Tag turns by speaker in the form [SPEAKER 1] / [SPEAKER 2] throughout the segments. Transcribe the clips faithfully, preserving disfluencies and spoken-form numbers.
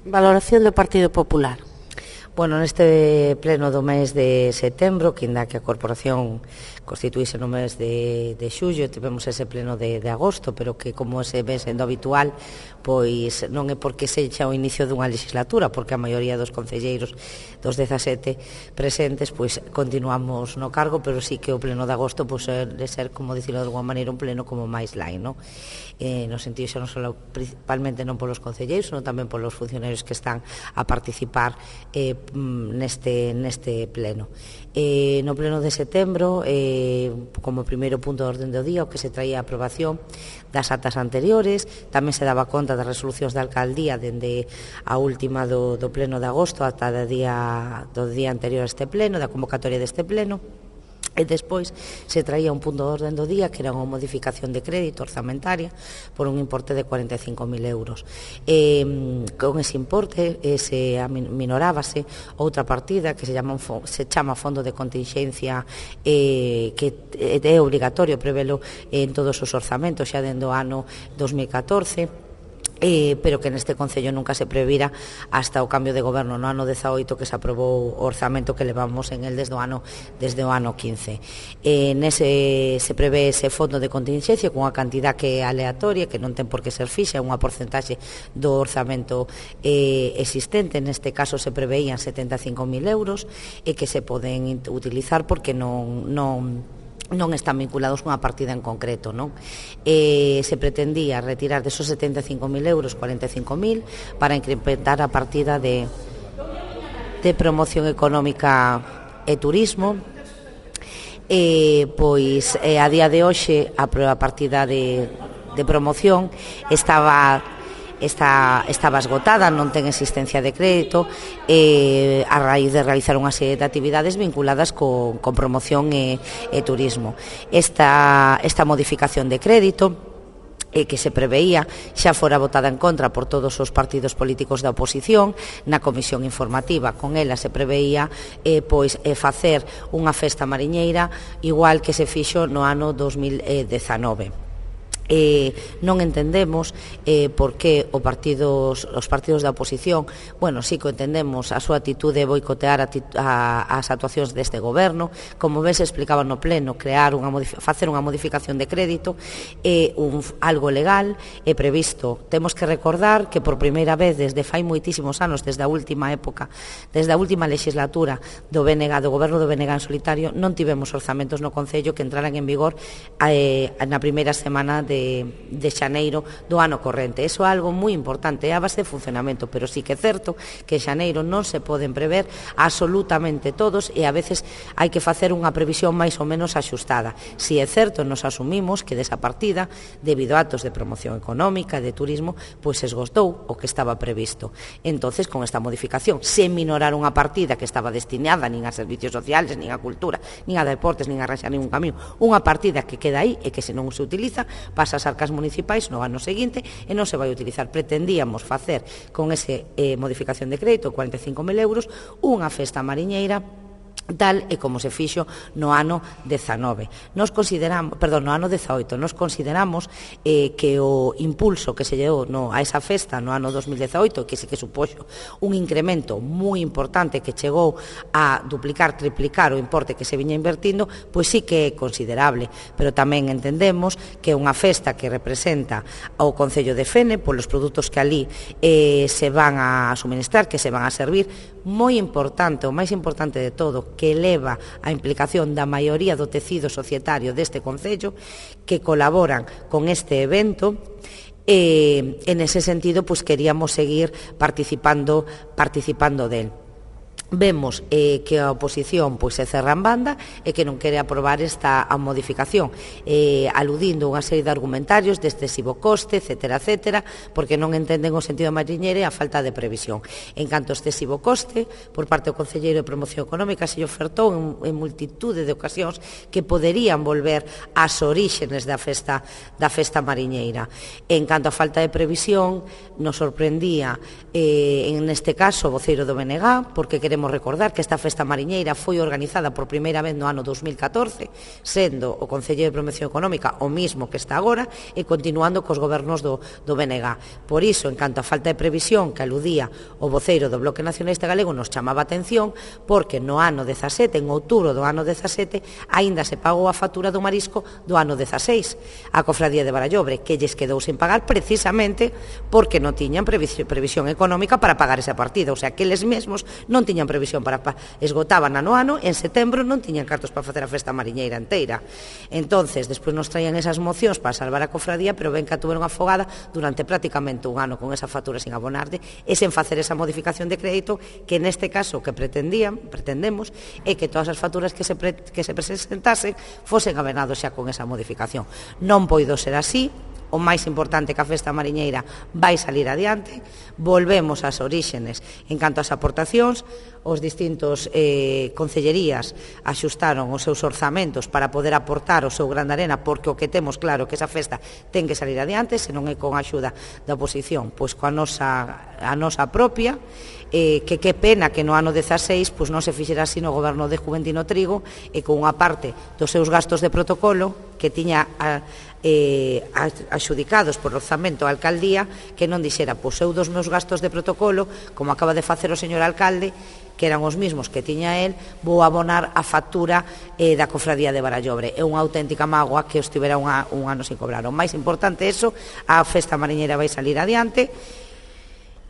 [SPEAKER 1] Valoración do Partido Popular.
[SPEAKER 2] Bueno, neste pleno do mes de setembro, que inda que a Corporación constituíse no mes de, de xullo, tivemos ese pleno de, de agosto, pero que como se ve sendo habitual, pois non é porque sexa o inicio dunha legislatura, porque a maioría dos concelleiros dos dezasete presentes, pois continuamos no cargo, pero sí que o pleno de agosto pois, de ser, como dicilo de alguma maneira, un pleno como máis light, non? Eh, no sentido xa non só principalmente non polos concelleiros, senón tamén polos funcionarios que están a participar eh, neste, neste pleno. Eh, no pleno de setembro, eh, como primeiro punto de orden do día, o que se traía a aprobación das atas anteriores, tamén se daba conta das resolucións da alcaldía dende a última do, do pleno de agosto ata do día, do día anterior a este pleno, da convocatoria deste pleno. E despois se traía un punto de orden do día que era unha modificación de crédito orzamentaria por un importe de cuarenta e cinco mil euros. E, con ese importe eh, se aminorábase outra partida que se chama, se chama Fondo de Contingencia eh, que é obrigatorio prevelo en todos os orzamentos xa dende o ano dos mil catorce. Eh, pero que neste Concello nunca se previra hasta o cambio de goberno no ano dezaoito que se aprobou o orzamento que levamos en el desde o ano, desde o ano quince. Eh, nese se prevé ese fondo de contingencia con unha cantidad que é aleatoria, que non ten por que ser fixa, unha porcentaxe do orzamento eh, existente. Neste caso se preveían setenta e cinco mil euros e que se poden utilizar porque non... non non están vinculados cunha partida en concreto, non? Eh, se pretendía retirar desos setenta e cinco mil euros cuarenta e cinco mil para incrementar a partida de, de promoción económica e turismo. Eh, pois eh, a día de hoxe a, a partida de, de promoción estaba Está, estaba esgotada, non ten existencia de crédito eh, a raíz de realizar unha serie de actividades vinculadas con, con promoción e, e turismo. Esta, esta modificación de crédito eh, que se preveía xa fora votada en contra por todos os partidos políticos da oposición na comisión informativa. Con ela se preveía eh, pois, eh, facer unha festa mariñeira igual que se fixo no ano dos mil dezanove. Eh, non entendemos eh, por que o partidos, os partidos da oposición, bueno, sí que entendemos a súa atitude de boicotear a, a, as actuacións deste goberno, como ben se explicaba no pleno, crear unha facer unha modificación de crédito é eh, un, algo legal, é previsto. Temos que recordar que por primeira vez desde fai moitísimos anos, desde a última época, desde a última legislatura do B N G, do goberno do B N G en solitario, non tivemos orzamentos no Concello que entraran en vigor eh, na primeira semana de De, de xaneiro do ano corrente. Eso é algo moi importante, é a base de funcionamento, pero sí que é certo que en xaneiro non se poden prever absolutamente todos e a veces hai que facer unha previsión máis ou menos axustada. Si é certo, nos asumimos que desa partida, debido a actos de promoción económica, de turismo, pois se esgotou o que estaba previsto. Entonces, con esta modificación, se minorar unha partida que estaba destinada nin a servicios sociales, nin a cultura, nin a deportes, nin a arranxar ningún camiño, unha partida que queda aí e que se non se utiliza, pasa as arcas municipais no ano seguinte e non se vai utilizar. Pretendíamos facer con ese eh, modificación de crédito cuarenta e cinco mil euros unha festa mariñeira tal e como se fixo no ano dezanove. Nos consideramos, perdón, no ano dezaoito, nos consideramos eh, que o impulso que se llevou no, a esa festa no ano dos mil dezaoito, que sí que supoxo un incremento moi importante que chegou a duplicar, triplicar o importe que se viña invertindo, pois sí que é considerable, pero tamén entendemos que é unha festa que representa ao Concello de Fene polos produtos que ali eh, se van a suministrar, que se van a servir, moi importante, o máis importante de todo, que eleva a implicación da maioría do tecido societario deste Concello que colaboran con este evento e en ese sentido pues queríamos seguir participando participando del. Vemos eh, que a oposición pois, se cerra en banda e que non quere aprobar esta a modificación, eh, aludindo unha serie de argumentarios de excesivo coste, etcétera, etcétera, porque non entenden o sentido mariñeiro e a falta de previsión. En canto a excesivo coste, por parte do Concelleiro de Promoción Económica se ofertou en, en multitude de ocasións que poderían volver ás oríxenes da festa, da festa mariñeira. En canto a falta de previsión, nos sorprendía, eh, en este caso, o voceiro do B N G, porque queremos queremos recordar que esta festa mariñeira foi organizada por primeira vez no ano dos mil catorce, sendo o Concelleiro de Promoción Económica o mismo que está agora e continuando cos gobernos do, do B N G. Por iso, en canto a falta de previsión que aludía o voceiro do Bloque Nacionalista Galego, nos chamaba a atención porque no ano dezasete, en outubro do ano dezasete, aínda se pagou a factura do marisco do ano dezaseis a Cofradía de Barallobre, que lles quedou sen pagar precisamente porque non tiñan previsión económica para pagar esa partida, o sea, que eles mesmos non tiñan previsión para esgotaban ano ano, en setembro non tiñan cartos para facer a festa mariñeira inteira. Entonces, despois nos traían esas mocións para salvar a cofradía, pero ben que a tuveron afogada durante prácticamente un ano con esa factura sin abonarde e sen facer esa modificación de crédito que neste caso que pretendían, pretendemos, é que todas as facturas que se, pre, que se presentasen fosen abonados xa con esa modificación. Non poido ser así. O máis importante que a festa mariñeira vai salir adiante, volvemos ás oríxenes en canto ás aportacións, os distintos eh, concellerías axustaron os seus orzamentos para poder aportar o seu gran arena, porque o que temos claro que esa festa ten que salir adiante, se non é con a axuda da oposición, pois coa nosa, a nosa propia, eh, que que pena que no ano dezaseis pois non se fixera así no goberno de Juventino Trigo e con unha parte dos seus gastos de protocolo que tiña a, eh, axudicados por orzamento a alcaldía, que non dixera, pois eu dos meus gastos de protocolo, como acaba de facer o señor alcalde, que eran os mismos que tiña el, vou abonar a factura eh, da Cofradía de Barallobre. É unha auténtica mágoa que estivera unha, un ano sin cobrar. O máis importante é eso, a festa mariñeira vai salir adiante,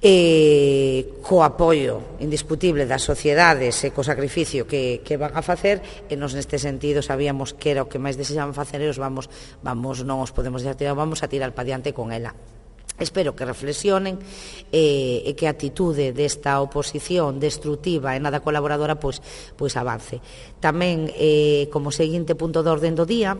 [SPEAKER 2] e co apoio indiscutible das sociedades e co sacrificio que, que van a facer, e nos neste sentido sabíamos que era o que máis desexaban facer e os vamos, vamos, non os podemos deixar tirar, vamos a tirar para diante con ela. Espero que reflexionen e, e que a atitude desta oposición destrutiva e nada colaboradora pois, pois avance. Tamén, eh, como seguinte punto de orden do día,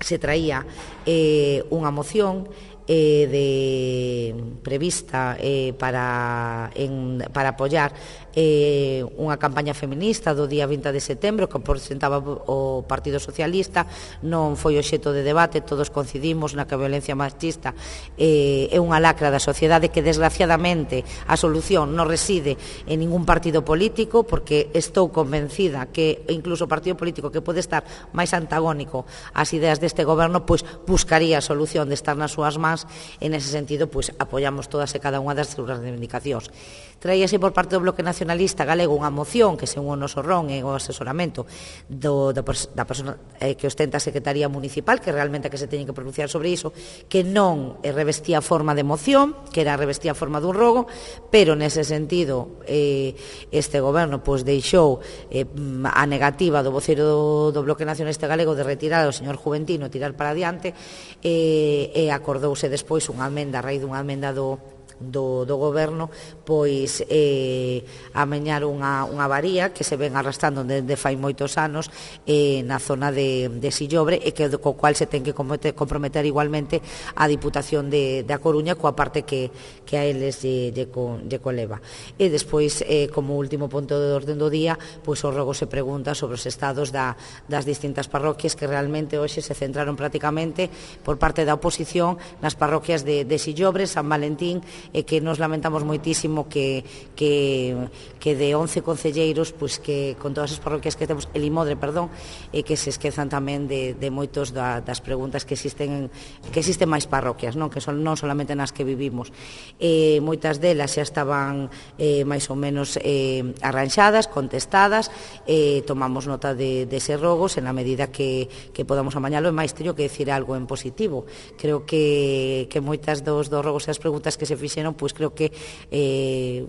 [SPEAKER 2] se traía eh, unha moción Eh, de prevista eh, para, en, para apoiar eh, unha campaña feminista do día vinte de setembro que presentaba o Partido Socialista. Non foi obxecto de debate, todos coincidimos na que a violencia machista eh, é unha lacra da sociedade, que desgraciadamente a solución non reside en ningún partido político, porque estou convencida que incluso o partido político que pode estar máis antagónico ás ideas deste goberno pois buscaría a solución de estar nas súas mans. En ese sentido, pois, apoiamos todas e cada unha das súas reivindicacións. Traíase por parte do Bloque Nacionalista Galego unha moción que, según o noso ron e o asesoramento do, da, da persona eh, que ostenta a Secretaría Municipal, que realmente que se teñen que pronunciar sobre iso, que non eh, revestía forma de moción, que era revestía forma dun rogo, pero nese sentido eh, este goberno pois, deixou eh, a negativa do voceiro do, do Bloque Nacionalista Galego de retirar ao señor Juventino e tirar para adiante, eh, e acordouse despois unha amenda, a raíz dunha amenda do, do, do goberno, pois eh, amenar unha, unha varía que se ven arrastrando desde fai moitos anos eh, na zona de, de Sillobre, e que co cual se ten que comprometer igualmente a Diputación de, de A Coruña coa parte que, que a eles lle, lle, lle coleva. E despois, eh, como último punto de orden do día, pois o rogo se pregunta sobre os estados da, das distintas parroquias, que realmente hoxe se centraron prácticamente por parte da oposición nas parroquias de, de Sillobre, San Valentín, e que nos lamentamos moitísimo que, que, que de once concelleiros, pois que con todas as parroquias que temos, el Imodre, perdón, e que se esquezan tamén de, de moitos da, das preguntas que existen, que existen máis parroquias, non, que son non solamente nas que vivimos. Eh, moitas delas xa estaban eh, máis ou menos eh, arranxadas, contestadas, eh, tomamos nota de, de ese rogos en a medida que, que podamos amañalo, e máis teño que decir algo en positivo. Creo que, que moitas dos, dos rogos e as preguntas que se fixeron, pois creo que eh,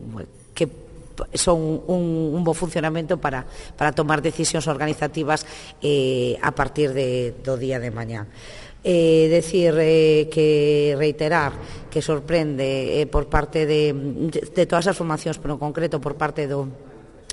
[SPEAKER 2] que son un, un bo funcionamento para, para tomar decisións organizativas eh, a partir de, do día de mañá. Eh, decir eh, que reiterar que sorprende eh, por parte de, de todas as formacións, pero en concreto por parte do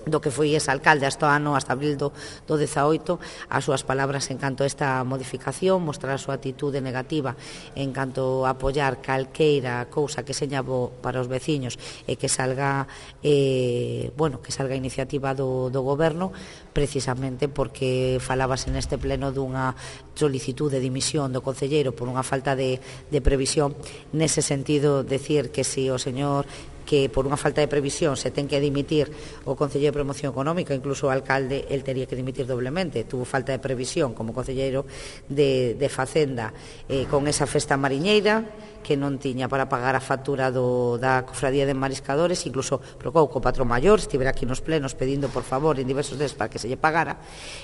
[SPEAKER 2] do que foi ese alcalde hasta o ano, hasta abril do, do dezaoito, as súas palabras en canto a esta modificación, mostrar a súa atitude negativa en canto a apoiar calqueira cousa que seña bo para os veciños e que salga eh, bueno, que salga a iniciativa do, do goberno, precisamente porque falábase neste pleno dunha solicitud de dimisión do concelleiro por unha falta de, de previsión. Nese sentido, decir que se o señor que por unha falta de previsión se ten que dimitir o Concelleiro de Promoción Económica, incluso o alcalde, el tería que dimitir doblemente, tuvo falta de previsión como Concelleiro de, de Facenda eh, con esa festa mariñeira, que non tiña para pagar a factura do, da Cofradía de Mariscadores, incluso procou co patrón maior, estivera aquí nos plenos pedindo por favor en diversos deses para que se lle pagara,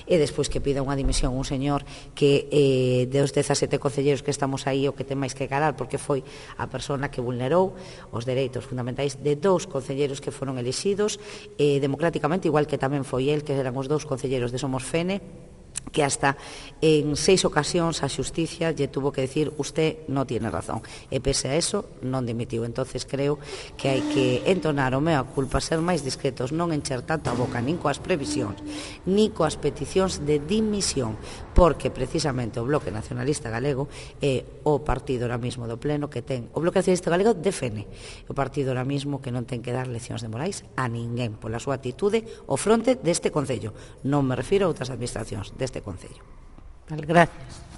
[SPEAKER 2] e despois que pida unha dimisión un señor que eh, dos dezasete concelleiros que estamos aí o que ten máis que calar, porque foi a persona que vulnerou os dereitos fundamentais de dous concelleiros que foron elixidos eh, democráticamente, igual que tamén foi el, que eran os dous concelleiros de Somos Fene, que hasta en seis ocasións a xusticia lle tuvo que decir usted non tiene razón, e pese a eso non dimitiu. Entonces creo que hai que entonar o mea culpa, ser máis discretos, non encher tanto a boca nin coas previsións nin coas peticións de dimisión, porque precisamente o Bloque Nacionalista Galego é o partido ahora mismo do pleno que ten, o Bloque Nacionalista Galego defende o partido ahora mismo que non ten que dar leccións de morais a ninguén pola súa atitude o fronte deste Concello, non me refiro a outras administracións deste Concello.
[SPEAKER 1] Vale, gracias.